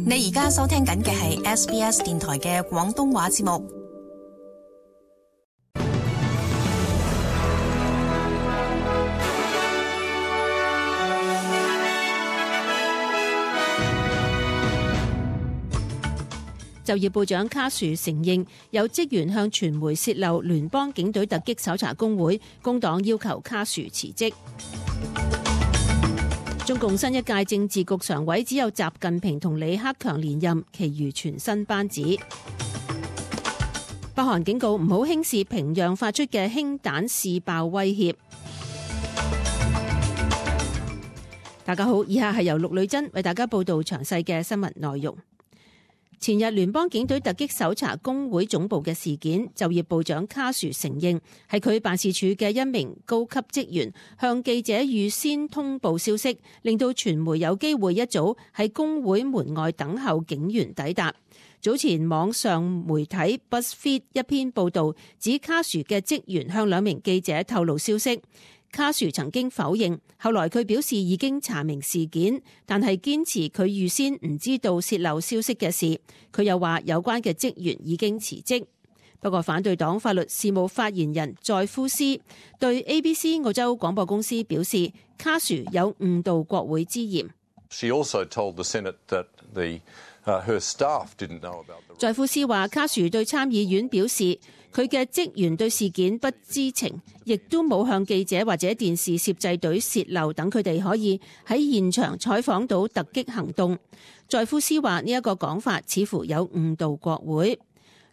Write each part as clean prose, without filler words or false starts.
你而家收聽緊嘅係 SBS 電台嘅廣東話節目。就業部長卡殊承認有職員向傳媒洩漏聯邦警隊突擊搜查工會，工黨要求卡殊辭職。中共新一屆政治局常委只有習近平同李克強連任，其餘全新班子。北韓警告唔好輕視平壤發出嘅氫彈試爆威脅。大家好，以下係由陸女真為大家報道詳細嘅新聞內容。前日聯邦警隊突擊搜查工會總部嘅事件，就業部長卡殊承認係佢辦事處嘅一名高級職員向記者預先通報消息，令到傳媒有機會一早喺工會門外等候警員抵達。早前網上媒體 BuzzFeed 一篇報導指卡殊嘅職員向兩名記者透露消息。卡殊曾經否認，後來佢表示已經查明事件，但係堅持佢預先唔知道洩漏消息嘅事。佢又話有關嘅職員已經辭職。不過反對黨法律事務發言人在夫斯對 ABC 澳洲廣播公司表示，卡殊有誤導國會之嫌。She also told the Senate that her staff didn't know about the... 在夫斯話，卡殊對參議院表示，佢嘅職員對事件不知情，亦都冇向記者或者電視攝製隊洩漏，等佢哋可以喺現場採訪到突擊行動。在夫斯話呢一個講法似乎有誤導國會。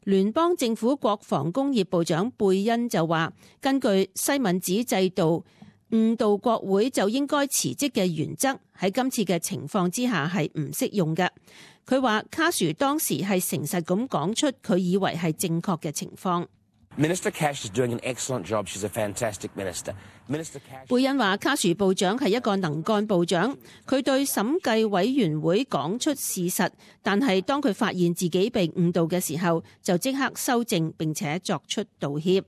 聯邦政府國防工業部長貝恩就話，根據西敏寺制度，誤導國會就應該辭職嘅原則喺今次嘅情況之下係唔適用嘅。佢話卡殊當時係誠實咁講出佢以為係正確嘅情況。Minister Cash is doing an excellent job. She's a fantastic minister. Minister Cash... 貝恩話卡殊部長係一個能幹部長，佢對審計委員會講出事實，但係當佢發現自己被誤導嘅時候，就即刻修正並且作出道歉。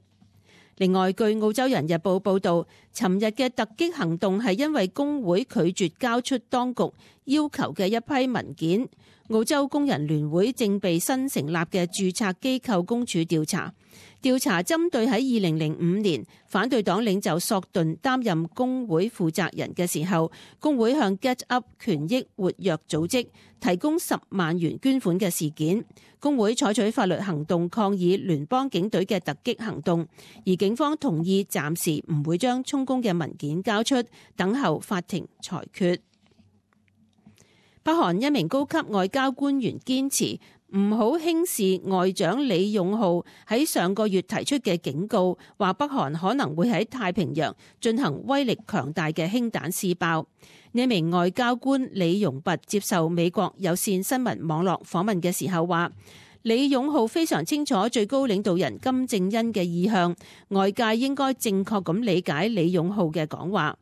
另外，據澳洲人日報報導，尋日嘅突擊行動係因為工會拒絕交出當局要求嘅一批文件。澳洲工人聯會正被新成立嘅註冊機構公署調查針對喺2005年反對黨領袖索頓擔任工會負責人嘅時候，工會向 Get Up 權益活躍組織提供10萬元捐款嘅事件。工會採取法律行動抗議聯邦警隊嘅突擊行動，而警方同意暫時唔會將充公嘅文件交出，等候法庭裁決。北韓一名高級外交官員堅持唔好輕視外長李勇浩喺上個月提出嘅警告，話北韓可能會喺太平洋進行威力強大嘅氫彈試爆。呢名外交官李容弼接受美國有線新聞網絡訪問嘅時候話，李勇浩非常清楚最高領導人金正恩嘅意向，外界應該正確咁理解李勇浩嘅講話。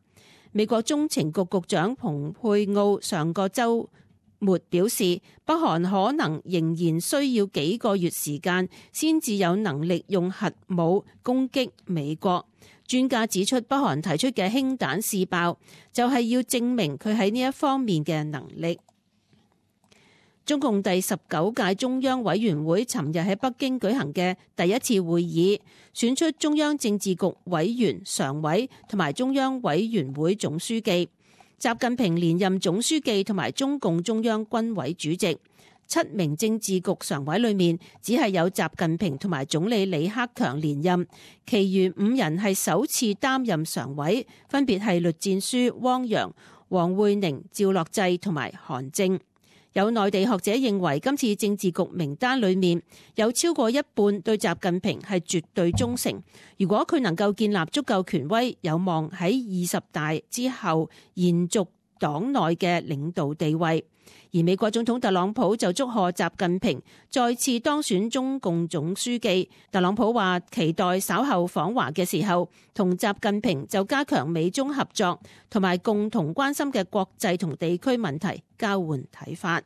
美國中情局局長蓬佩奧上個週末表示，北韓可能仍然需要幾個月時間先至有能力用核武攻擊美國。專家指出，北韓提出嘅氫彈試爆就係要證明佢喺呢一方面嘅能力。中共第19屆中央委員會尋日喺北京舉行嘅第一次會議，選出中央政治局委員、常委同埋中央委員會總書記。習近平連任總書記同埋中共中央軍委主席。7名政治局常委裏面，只係有習近平同埋總理李克強連任，其餘5人係首次擔任常委，分別係栗戰書、汪洋、王滙寧、趙樂際同埋韓正。有內地學者認為，今次政治局名單裏面有超過一半對習近平係絕對忠誠。如果佢能夠建立足夠權威，有望喺20大之後延續黨內嘅領導地位。而美國總統特朗普就祝賀習近平再次當選中共總書記。特朗普話期待稍後訪華嘅時候，同習近平就加強美中合作同埋共同關心嘅國際同地區問題交換睇法。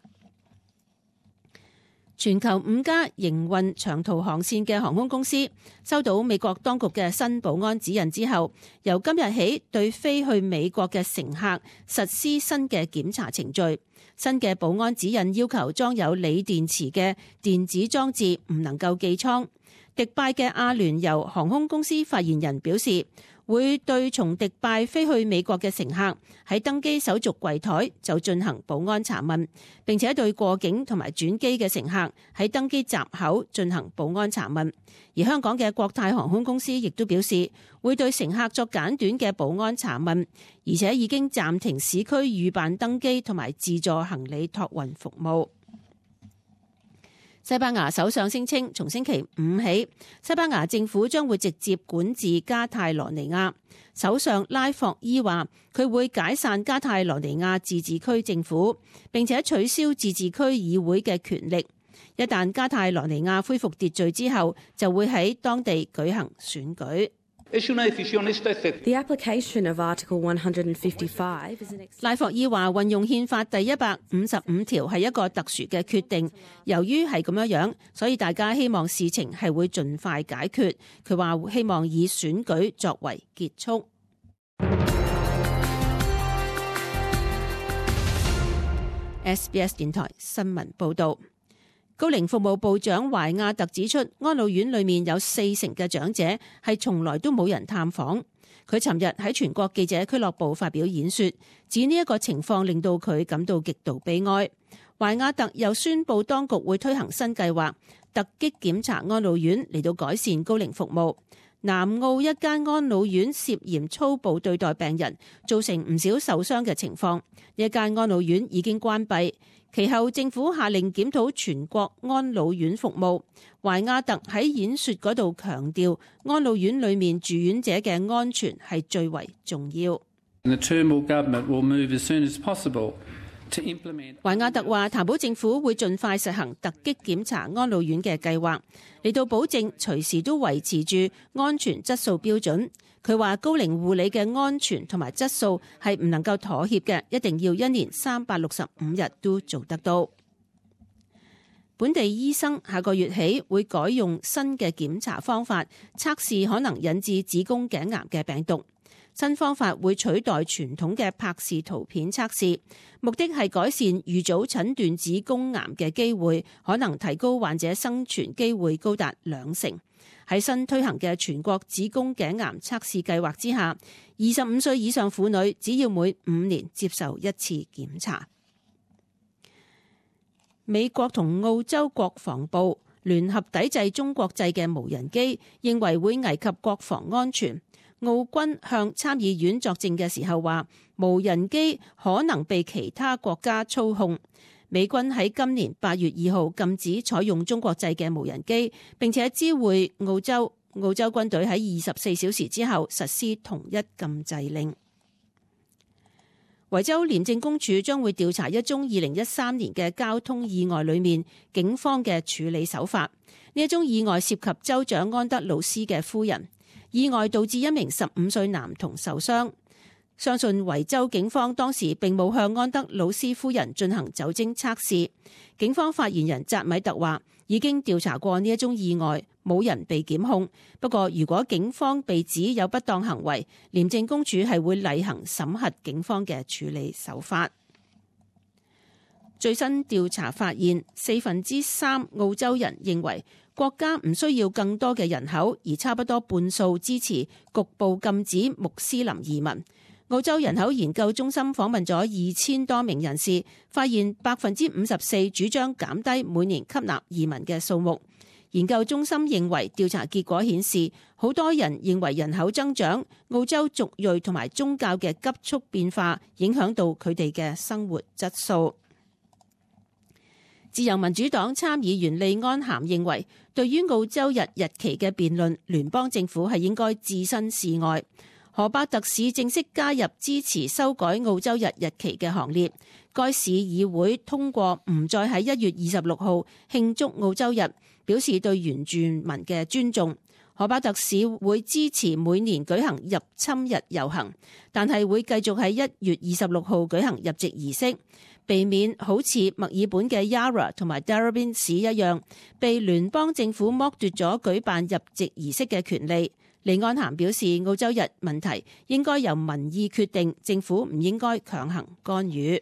全球5家營運長途航線嘅航空公司收到美國當局嘅新保安指引之後，由今日起對飛去美國嘅乘客實施新嘅檢查程序。新嘅保安指引要求裝有鋰電池嘅電子裝置唔能夠寄艙。迪拜嘅阿聯酋航空公司發言人表示，會對從迪拜飛去美國嘅乘客喺登機手續櫃台就進行保安查問，並且對過境同埋轉機嘅乘客喺登機閘口進行保安查問。而香港嘅國泰航空公司亦都表示，會對乘客作簡短嘅保安查問，而且已經暫停市區預辦登機同埋自助行李託運服務。西班牙首相聲稱，從星期5起，西班牙政府將會直接管治加泰羅尼亞。首相拉霍伊話，佢會解散加泰羅尼亞自治區政府，並且取消自治區議會嘅權力。一旦加泰羅尼亞恢復秩序之後，就會喺當地舉行選舉。The application of Article 155 is an... 拉霍伊話運用憲法第155條係一個特殊嘅決定，由於係咁樣，所以大家希望事情係會盡快解決。佢話希望以選舉作為結束。SBS 電台新聞報導。高齡服務部長懷亞特指出，安老院裏面有40%嘅長者係從來都冇人探訪。佢尋日喺全國記者俱樂部發表演說，指呢一個情況令到佢感到極度悲哀。懷亞特又宣布當局會推行新計劃，突擊檢查安老院嚟到改善高齡服務。南澳一間安老院涉嫌粗暴對待病人，造成唔少受傷嘅情況。呢間安老院已經關閉。其後政府下令檢討全國安老院服務。懷亞特喺演說嗰度強調，安老院裏面住院者嘅安全係最為重要。懷亞特話，譚堡政府會盡快實行突擊檢查安老院嘅計劃，嚟到保證隨時都維持住安全質素標準。佢話高齡護理嘅安全同埋質素係唔能夠妥協嘅，一定要1年365日都做得到。本地醫生下個月起會改用新嘅檢查方法，測試可能引致子宮頸癌嘅病毒。新方法會取代傳統嘅柏氏圖片測試，目的係改善預早診斷子宮癌嘅機會，可能提高患者生存機會高達2成。喺新推行嘅全國子宮頸癌測試計劃之下，25歲以上婦女只要每5年接受1次檢查。美國同澳洲國防部聯合抵制中國製嘅無人機，認為會危及國防安全。澳軍向參議院作證嘅時候話，無人機可能被其他國家操控。美軍喺今年8月2號禁止採用中國製嘅無人機，並且知會澳洲。澳洲軍隊喺24小時之後實施同一禁制令。維州廉政公署將會調查一宗2013年嘅交通意外裏面警方嘅處理手法。呢一宗意外涉及州長安德魯斯嘅夫人。意外導致一名15歲男童受傷，相信維州警方當時並冇向安德魯斯夫人進行酒精測試。警方發言人扎米特話，已經調查過呢一宗意外，冇人被檢控。不過，如果警方被指有不當行為，廉政公署係會例行審核警方嘅處理手法。最新調查發現，3/4澳洲人認為國家唔需要更多嘅人口，而差不多半數支持局部禁止穆斯林移民。澳洲人口研究中心訪問咗2000多名人士，發現54%主張減低每年吸納移民嘅數目。研究中心認為調查結果顯示，好多人認為人口增長、澳洲族裔同埋宗教嘅急速變化影響到佢哋嘅生活質素。自由民主黨參議員利安咸認為，對於澳洲日期嘅辯論，聯邦政府係應該置身事外。荷伯特市正式加入支持修改澳洲日期嘅行列。該市議會通過唔再喺1月26號慶祝澳洲日，表示對原住民嘅尊重。荷巴特市會支持每年舉行入侵日遊行，但係會繼續喺1月26號舉行入籍儀式，避免好似墨爾本嘅 Yarra 同埋 Darebin 市一樣，被聯邦政府剝奪咗舉辦入籍儀式嘅權利。李安涵表示，澳洲日問題應該由民意決定，政府唔應該強行干預。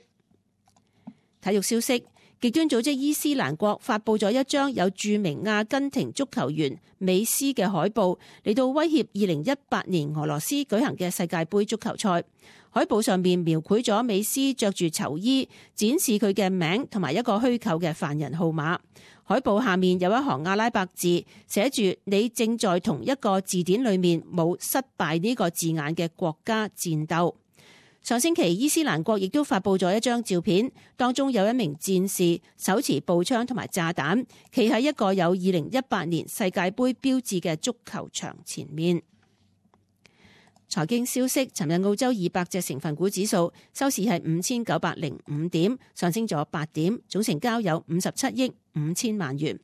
體育消息。極端組織伊斯蘭國發佈咗一張有著名阿根廷足球員美斯嘅海報，嚟到威脅2018年俄羅斯舉行嘅世界盃足球賽。海報上面描繪咗美斯着住囚衣，展示佢嘅名同埋一個虛構嘅犯人號碼。海報下面有一行阿拉伯字，寫住你正在同一個字典裏面冇失敗呢個字眼嘅國家戰鬥。上星期伊斯蘭國亦都發佈咗一張照片，當中有一名戰士手持步槍同埋炸彈，企喺一個有2018年世界盃標誌嘅足球場前面。財經消息，尋日澳洲200隻成分股指數收市係5905點，上升咗8點，總成交有57億5000萬元。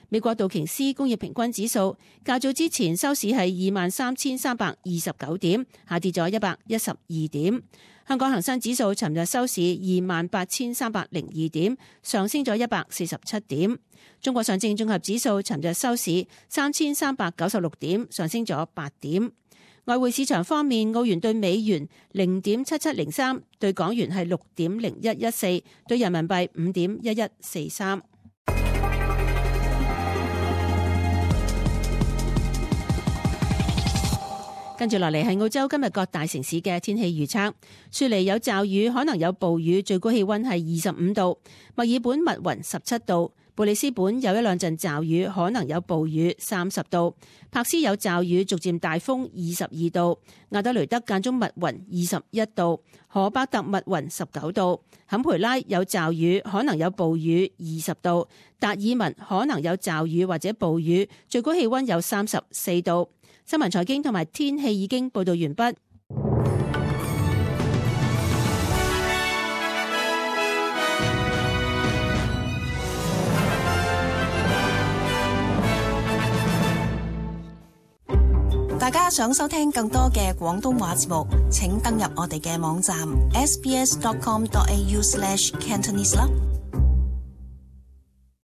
美國道瓊斯工業平均指數較早之前收市係23,329點，下跌咗112點。香港恒生指數尋日收市28,302點，上升咗147點。中國上證綜合指數尋日收市3,396點，上升咗8點。外匯市場方面，澳元對美元0.7703，對港元係6.0114，對人民幣5.1143。跟住落嚟係澳洲今日各大城市嘅天氣預測。雪梨有驟雨，可能有暴雨，最高氣溫係25度。墨爾本密雲17度。布里斯本有一兩陣驟雨，可能有暴雨30度。柏斯有驟雨，逐漸大風22度。亞德雷德間中密雲21度。荷巴特密雲19度。坎培拉有驟雨，可能有暴雨20度。達爾文可能有驟雨或者暴雨，最高氣溫有34度。新聞財經同埋天氣已經報道完畢。大家想收聽更多嘅廣東話節目，請登入我哋嘅網站 sbs.com.au/cantonese 啦。